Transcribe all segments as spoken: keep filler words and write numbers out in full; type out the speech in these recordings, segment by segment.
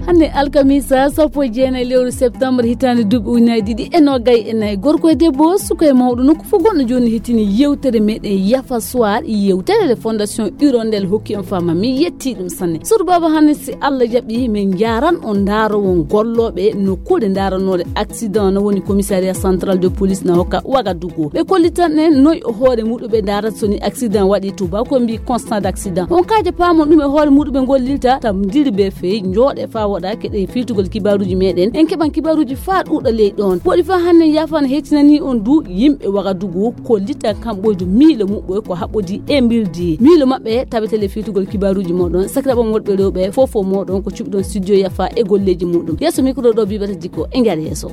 Hannde alkamisa sappo e jeenayi lewru septembre hitaande duuɓi ujunaaji ɗiɗi e noogay e nayi, gorko e debbo, suka e mawɗo, nokku fof gonɗo jooni hettini yewtere meɗen Yafa Soir, yewtere nde Fondation Hirondelle hokki en fama. Mi yetti ɗum sanne. Sodu Baba, hannde si Allah jaɓi, min njaaran on ndaarowon gollooɓe nokkuure ndaarannoore accident, no woni Commissariat Central de Police na hokka Ouagadougou. Ɓe kollitan en noy o hoore muɗum ɓe ndaarata so ni accident waɗi. Tubaako mbi constat d' accident. On kaaja paamon ɗum e hoore muɗum ɓe ngollirta, tam ndiri be fey, njooɗe faa woɗa, keɗe fiiltugol kibaaruuji meɗen. En keɓan kibaaruuji faa ɗuuɗa ley ɗon. Woɗi faa hannde yaafan heetinani on du yimɓe Ouagadougou kollitan kamɓoydu miilo muɓɓoy ko haɓɓodi e mbirdi. Miilo maɓɓe tabete le fiiltugol kibaaruuji moɗon. Sakiraaɓe am worɓe rewɓe, fof fof moɗon ko cuɓiɗon studio Yafa e golleeji muɗum. Yeeso micro ɗo Bibata Dikko, e njaar yeeso.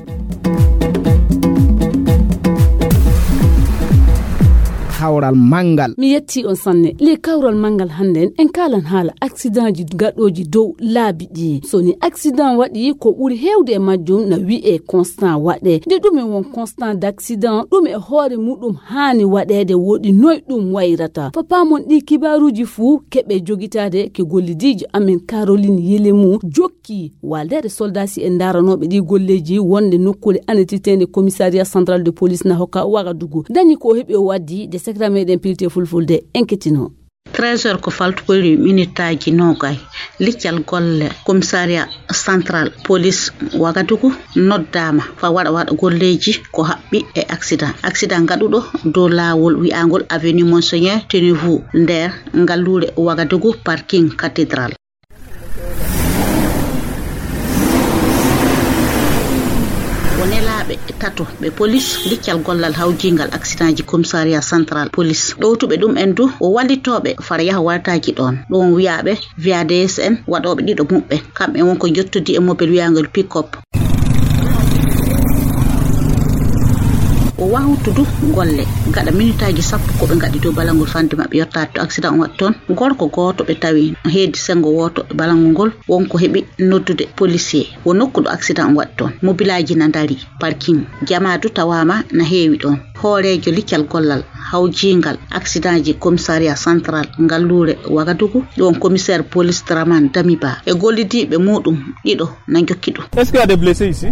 Kawral manngal. Mi yetti on sanne. Le kawral manngal hannden en kaalan haala accidentji gaɗooji dow laabi ɗi. So ni accident waɗi, ko ɓuri heewde e majjum na wi'e constat waɗe. Nde ɗum e won constat d' accident, ɗum e hoore muɗum haani waɗeede, woɗi noy ɗum wayrata. Fa paamon ɗi kibaaruuji fuu keɓe jogitaade ke gollidiijo amen Caroline Yelemu jokki ki waldeede soldaasi e ndaaranooɓe ɗi golleeji wonde nokkuure anetiteende Commissariat Central de Police na hokka Ouagadougou. Dañi ko heɓi o waddi de sekra meɗen pilte fulfulde en kettino. Trésor ko faltukoyri minitaaji noogay. Liccal golle Commissariat Central Police Ouagadougou noddaama fa waɗa waɗa golleeji ko haɓɓi e accident. Accident gaɗuɗo dow laawol wi'aangol Avenue Monseigneur Tenevou nder ngalluure Ouagadougou, parking cathédrale. Ko nelaaɓe tato ɓe police liccal gollal hawjiingal accidentji Commissariat Central Police. Ɗowtuɓe ɗum en du o wallitooɓe fara yaha wartaaji ɗoon. Ɗum wiyaaɓe V A D S en waɗooɓe ɗiɗo muɓɓen. Kamɓe won ko njottodii e mobel wiyaangol pick-up. O wawtudu golle gaɗa minitaaji sappo ko ɓe ngaɗi dow balangol fande maɓɓe yottaade to accident on waɗi toon. Gorko gooto ɓe tawi heedi senngo wooto e balangol ngol won ko heɓi noddude policier. Wo nokku ɗo accident on waɗi toon. Mobilaaji na ndari parking. Jamaa du tawaama na heewi ɗoon. Hooreejo liccal gollal hawjiingal accidentji Commissariat Central ngalluure Ouagadougou, ɗoon commissaire police Dramane Damiba e gollidiiɓe muɗum ɗiɗo na njokki ɗum. Est-ce qu'il y a des blessés ici?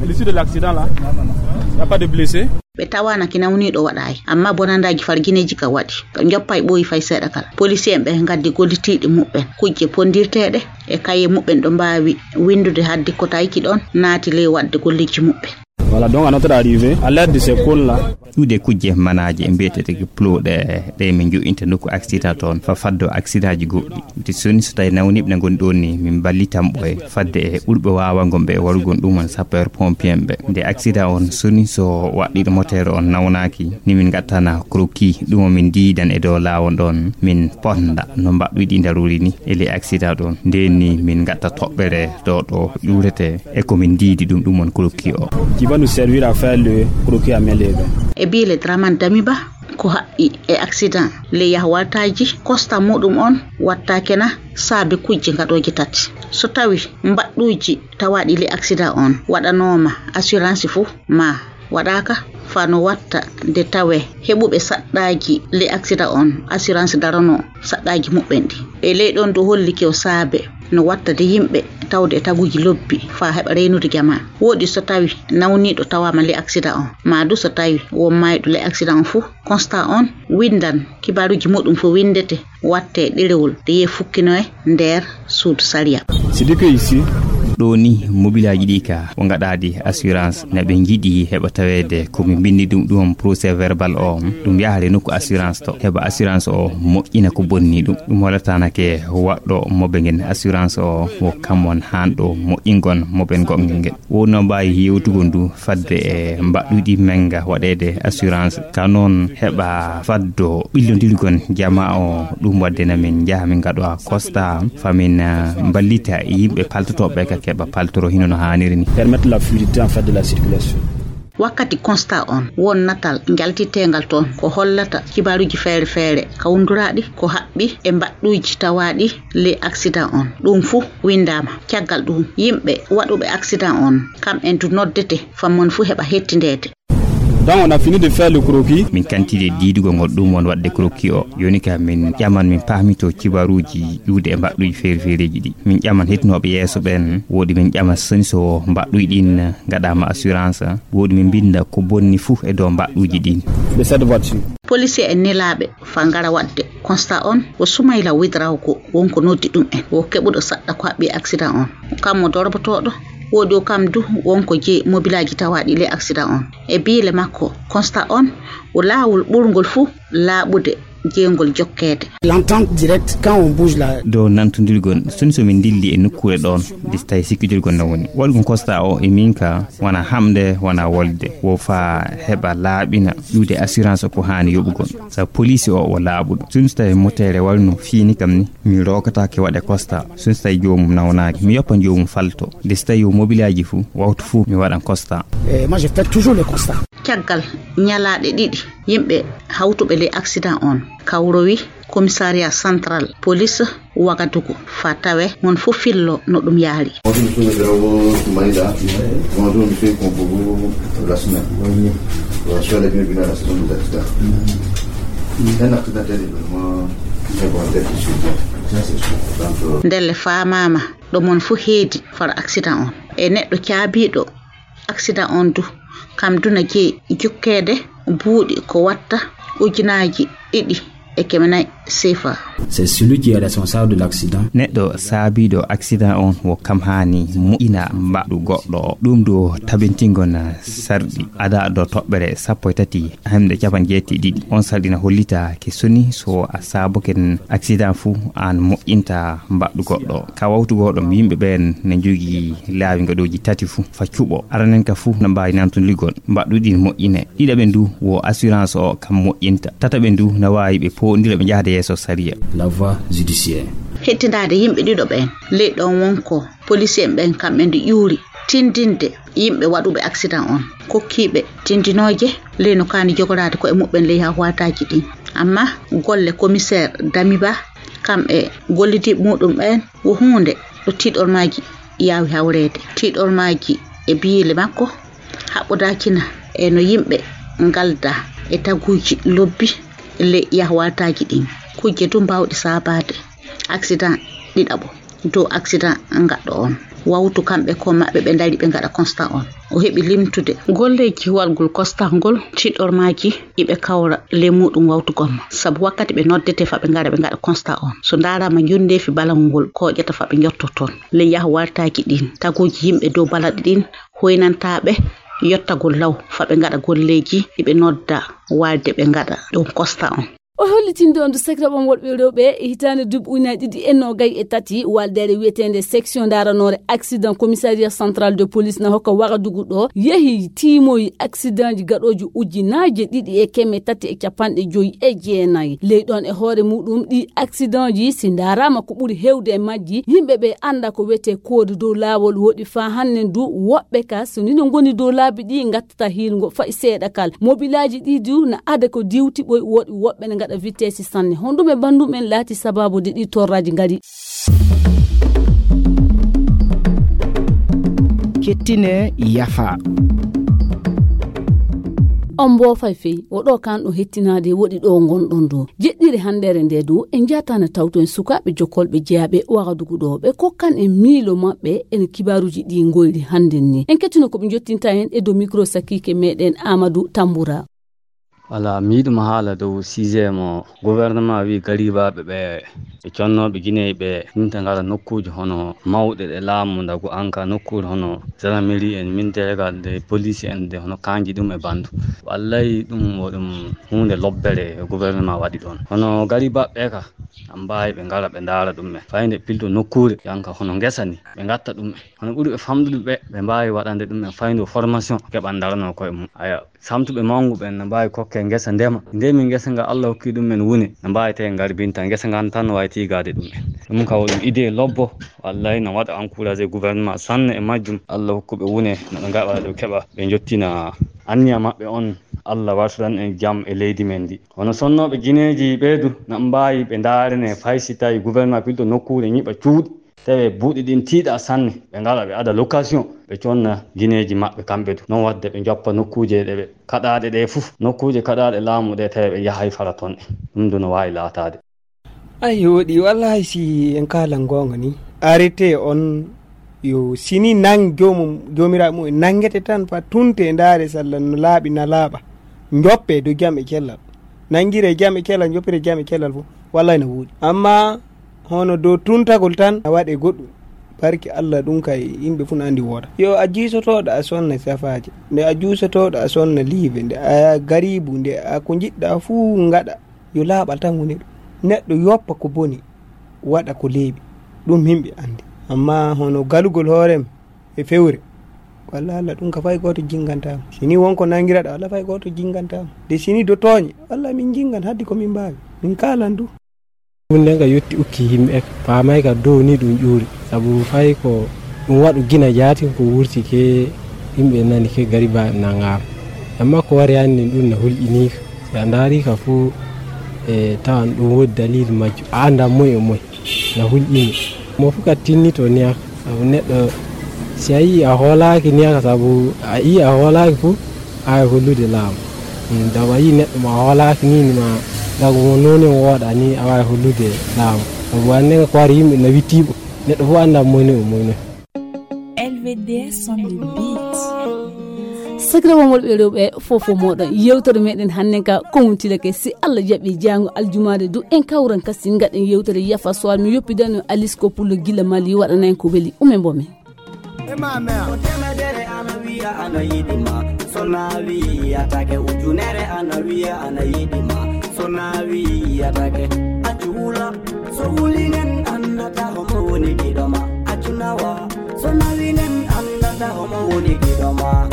L'issue de l'accident là, il n'y a pas de blessés? Ɓe tawaana ki nawniiɗo waɗaay, amma bonandaaji fargineeji ka waɗi. Ɓe njoppaay ɓooyi fay seeɗa kala. Policier en ɓe ngaddi gollitiiɗi muɓɓen, kujje pondirteeɗe e kaye muɓɓen ɗo mbaawi winndude haddi ko tawki ɗoon naati ley waɗde golleeji muɓɓen. Voilà, donc à notre arrivée, à l'aide de ces cônes-là. Ɗuuɗe kujje manaaje mbiyeteeɗe plow ɗe, ɗe min jo'inta nokku accident toon, fa faddo accidentji goɗɗi. Nde soni so tawi nawniiɓe ne ngoni ɗoon ni, min mballitan ɓe fadde e ɓurɓe waawagol ɓe warugol ɗum won sapeur pompier ɓe. Nde accident on soni so waɗɗiiɗo moteur on nawnaaki, ni min ngattana croquis, ɗum o min diidan e dow laawol ɗoon, min ponda no mbaɗɗuyɗi ndaruri ni e ley accident ɗoon. Ndeen ni min ngatta toɓɓere ɗo ɗo ƴuurete e ko min diidi ɗum, ɗum won croquis o. Qui va nous servir à faire le croquis à main levée. E biile Dramane Damiba ko haɓɓi e accident ley yahwataaji, constat muɗum on wattaake na saabe kujje gaɗooje tati. So tawi mbaɗɗuuji tawaaɗi ley accident on waɗanooma assurance fuu ma waɗaaka, faa no watta nde tawee heɓuɓe saɗɗaaji ley accident on assurance daranoo saɗɗaaji muɓɓen ɗi. E ley ɗon du hollike o saabe no watta de yimɓe tawde e taguuji lobbi faa heɓa reynude jamaa. Wooɗi so tawi nawniiɗo tawaama ley accident on, maa du so tawi won maayɗo ley accident on fuu, constat on winndan, kibaaruuji muɗum fuu winndete, wattee ɗerewol de yee fukkinoye nder suudu sariya. C'est dit que ici. Ɗo ni mobilaaji ɗi ka o ngaɗaadi assurance, na ɓe njiɗi heɓa taweede ko mi mbinndi ɗum, ɗum procès verbal o, ɗum yahre nokku assurance to, heɓa assurance o moƴƴina ko bonni ɗum. Ɗum holataanake waɗɗo moɓe ngen assurance o, wo kam won haanɗo moƴƴingon moɓe goɗngel ngel. Wonno mbaawi yewtugol ndu fadde e mbaɗɗuɗi menga waɗeede assurance, ka noon heɓa faddo ɓillondirgol jamaa o. Ɗum waɗde na min njaha min ngaɗowa constat, fa min, eh, mballita yimɓe paltotooɓe ka keɓa paltoro hino no haaniri ni. Permettre la fluidité en fait de la circulation. Wakkati constat on, won natal njaltiteengal toon ko hollata kibaaruuji feere feere kawnduraaɗi ko haɓɓi e mbaɗɗuuji tawaaɗi ley accident on. Ɗum fuu winndaama. Caggal ɗum, yimɓe waɗuɓe accident on, kam en du noddete, fammon fuu heɓa hettindeede. Quand on a fini de faire le croquis, min kantide diidugol ngol ɗum won waɗde croquis o. Jooni ka min ƴaman, min paamito cibaruuji iwde e mbaɗɗuuji feere feereeji ɗi. Min ƴaman hettinooɓe yeeso ɓeen, woodi min ƴama soni so mbaɗɗuuji ɗin ngaɗaama assurance, woodi min mbinda ko bonni fuu e dow mbaɗɗuuji ɗin. De cette voiture. Policier en nelaaɓe fa ngara waɗde constat on, o Sumayla Widrawgo wonko noddi ɗum en, o keɓuɗo saɗɗa ko haɓɓi accident on. Kam mo dorbotooɗo, woodi o kam du wonko jeyi mobilaaji tawaaɗi le accident on. E biile makko, constat on o laawol ɓurngol fuu laaɓude jeyngol jokkeede. L'entente directe, quand on bouge là. Dow nantondirgol, soni so min ndilli e nokkuure ɗoon, nde so tawi sikkidirgol na woni. Waɗugol constat o e min ka, wona hamde, wona wolde. Wo fa heɓa laaɓina iwde assurance ko haani yoɓugol. Sa police o, wo laaɓuɗo. Soni so tawi motere walla no fiini kam ni, mi rokataake waɗe constat. Soni so tawi joomum nawnaaki, mi yoppan joomum falto. Nde so tawi o mobilaaji fuu, waktu fuu mi waɗan constat. Eh, moi, je fais toujours le constat. Caggal ñalaaɗe ɗiɗi, yimɓe hawtuɓe ley accident on kawrowi commissariat central police Wagadugu fa tawe mon fof fillo no ɗum yaari. Bonjour, monsieur le Drago Soumaïla. Bonjour, monsieur Kompogo Rassouna. Bonjour. Soyez les bienvenus à la saison des accidents. Un accident, c'est un événement qui va être suivi. Ça, c'est sûr. Donc, euh, ndelle faamaama ɗo mon fof heedi far accident on. E neɗɗo caabiiɗo accident on du, kam du na jeyi jokkeede buuɗi ko watta ujunaaji ɗiɗi e keme nayi sefa. C'est celui qui est responsable de l'accident. Neɗɗo saabiiɗo accident on wo kam haani moƴƴina mbaɗɗu goɗɗo o. Ɗum du tabintingol na sarɗi ada do toɓɓere sappo e tati hemde capanɗe jeetati e ɗiɗi. On sarɗi na hollita ke soni so a saaboken accident fuu aan moƴƴinta mbaɗɗu goɗɗo o. Ka wawtu goɗɗo yimɓe ɓeen na njogii laawi ngaɗooji tati fuu fa cuɓo. Aranen ka fuu na mbaawi nantondirgol mbaɗɗuɗi moƴƴine. Ɗiɗaɓe ndu wo assurance o kam moƴƴinta. Tataɓe ndu na waawi ɓe poondira ɓe njahda yeeso sariya. La voie judiciaire. Hettindaade yimɓe ɗiɗo ɓeen. Ley ɗon wonko policier en ɓeen kamɓe ndu ƴuuri tindinde yimɓe waɗuɓe accident on. Kokkiiɓe tindinooje ley no kaani jogoraade koye muɓɓen ley hawhataaji ɗin. Amma golle commissaire Damiba kam e gollidiiɓe muɗum ɓeen wo huunde ɗo tiiɗormaaji yaawi hawreede. Tiiɗormaaji e biile makko haɓɓodaakina e no yimɓe ngalda e taguuji lobbi ley yahwataaji ɗin. Kujje du mbaawɗe saabaade accident ɗiɗaɓo dow accident ngaɗɗo on. Wawtu kamɓe ko maɓɓe ɓe ndari ɓe ngaɗa constat on. O heɓi limtude golleeji waɗgol constat ngol tiiɗormaaji iɓe kawra ley muɗum wawtu gomma. Sabu wakkati ɓe noddete fa ɓe ngara ɓe ngaɗa constat on. So ndaaraama njonndeefi balangol ngol kooƴata fa ɓe njotto toon. Ley yahwartaaji ɗin, taguuji yimɓe dow balaɗe ɗin hoynantaaɓe yottagol law fa ɓe ngaɗa golleeji ɗi ɓe nodda waalde ɓe ngaɗa ɗum constat on. O hollitinde on du sekre ɓom worɓe rewɓe e hitaande duuɓi ujunaaji ɗiɗi e noogay e tati, waaldeere wiyeteende section ndaranoore accident commissariat central de police na hokka Wagadugu ɗo yehi tiimoyi accidentji gaɗooji ujunaaje ɗiɗi e keme tati e capanɗe joyi e jeenayi. Ley ɗon e hoore muɗum ɗi accidentji si ndaaraama ko ɓuri heewde e majji, yimɓe ɓe annda ko wiyetee koode dow laawol woɗi faa hannden du woɓɓe ka so ni no ngoni dow laabi ɗi ngattata hiirngo fayi seeɗa kal. Mobilaaji ɗi du na ada ko diwti ɓoy woɗi woɓɓe ne ngaɗa vitesse sanne. Honɗum e banndum en laati sabaabu de ɗi torraaji ngari? Kettine yafa. On mboofay fey, o ɗo kan ɗo hettinaade woɗi ɗo ngonɗon ɗo. Jeɗɗire hanndere nde du, en njatana tawto en sukaaɓe jokkolɓe jeyaaɓe Wagadugu ɗo. Ɓe kokkan en miilo maɓɓe en kibaaruuji ɗi ngoyri hannden ni. En kettino ko ɓe njottinta en e dow micro sakiike meɗen Amadou Tambura. Wala, mi yiɗuma haala dow sujet mo gouvernement wi garibaaɓe ɓe, e connooɓe Guinée ɓe, yimɓe ngara nokkuuji hono mawɗe ɗe laamu ndagu anka nokkuure hono gendarmerie en, militaire de police en de, hono kanji ɗum e bandu. Wallay ɗum wo ɗum huunde lobbere gouvernement waɗi ɗon. Hono garibaaɓe ɓe ka, an mbaawi ɓe ngara ɓe ndaara ɗum en. Fayde pilto nokkuure, yanka hono ngesa ni, ɓe ngatta ɗum en. Hono ɓuri ɓe famɗude ɓe, ɓe mbaawi waɗande ɗum en fayde formation, keɓan ndarano koye mum. Aya, samtuɓe mawgu ɓen no mbaawi kokke ngesa ndema. Ndemi ngesa nga Allah hokki ɗum en wune, no mbaawi tawi ngarbinta ngesa ngan tan no waawi tiigaade ɗum en. Ɗum ka wo ɗum idée lobbo, wallay no waɗa encouragé gouvernement sanne e majjum. Allah hokkuɓe wune, no ɓe ngaɗa ɓe keɓa, ɓe njottina anniya maɓɓe on. Allah wartiran en jam e leydi men ndi. Hono sonnooɓe Guinéeji ɓee du, no mbaawi ɓe ndaarene fay si tawi gouvernement pilto nokkuure ñiɓa cuuɗi. Tawi buuɗi ɗin tiiɗa sanne, ɓe ngara ɓe ada location, ɓe conna gineeji maɓɓe kamɓe du. Non wadde ɓe joppa nokkuuje ɗe ɓe kaɗaaɗe ɗe fof, nokkuuje kaɗaaɗe laamu ɗe, tawi ɓe yahay fara toon ɗe. Ɗum du no waawi laataade. Ay, woɗi, wallahi, si en kaalan goonga ni, arrêté on, yo sini nang joomum, joomiraaɓe mum en nanngete tan, fa tunte, ndaare salla no laaɓi, na laaɓa. Njoppe dow jam e cellal. Nanngire jam e cellal, njoppire jam e cellal fof. Wallahi no woɗi. Amma hono dow tuntagol tan, a waɗe goɗɗum. Barki Allah, ɗum kay yimɓe fof no anndi wooda. Yo a jiisotooɗo a sonna safaaje. Nde a juusotooɗo a sonna liive. Nde a gariibu, nde a ko njiɗɗa fuu ngaɗa. Yo laaɓal tan woni ɗum. Neɗɗo yoppa ko boni, waɗa ko leeɓi. Ɗum yimɓe anndi. Amma hono galugol hoorem e fewre, walla Allah, ɗum ka fay gooto jinnganta mo. Si ni won ko nanngiraɗa, walla fay gooto jinnganta mo. De si ni do tooñe, walla min jinngan haddi ko min mbaawi. Min kaalan du. Ɗum nden ka yotti ukki yimɓe, faamay ka dow ni ɗum ƴuuri. Sabu fay ko ɗum waɗu gina jaati ko wurti ke yimɓe nani ke gari ba nangaama. Amma ko wari hannde ɗum na hulƴiniika. Si a ndaari ka fof, e tawan ɗum woodi dalil majjum. A anndaa moy e moy. Na hulƴini. Mo fof ka tinnito niyaka. Sabu neɗɗo, si a yii a hoolaaki niyaka, sabu a yii a hoolaaki fof, a waawi hollude laamu. Mm, sabu a yii neɗɗo mo a hoolaaki ni, ni ma, dago mo nooni mo wooɗa ni, a waawi hollude laamu. Sabu wande ko wari yimɓe na wittiiɓo. Neɗɗo fof anndaa moy ni o moy noy. L V D S on the beat. Sakiraaɓe worɓe e rewɓe, fof fof mooɗon. Yewtere meɗen hannde ka ko mum tilake. Si Allah jaɓi, jaango aljumaare du, en kawran kasi ngaɗen yewtere Yafa Soir. Mi yoppidano Alice ko Pullo gila Mali, waɗana en ko weli. Umen mbo men. Ko temedere ana wiya ana yiɗi ma. So na wiyatake ujunere ana wiya ana yiɗi ma. So na wiyatake accu wula. So wulinen anndata homo woni giɗo ma. Accu nawa. So nawinen anndata homo woni giɗo ma.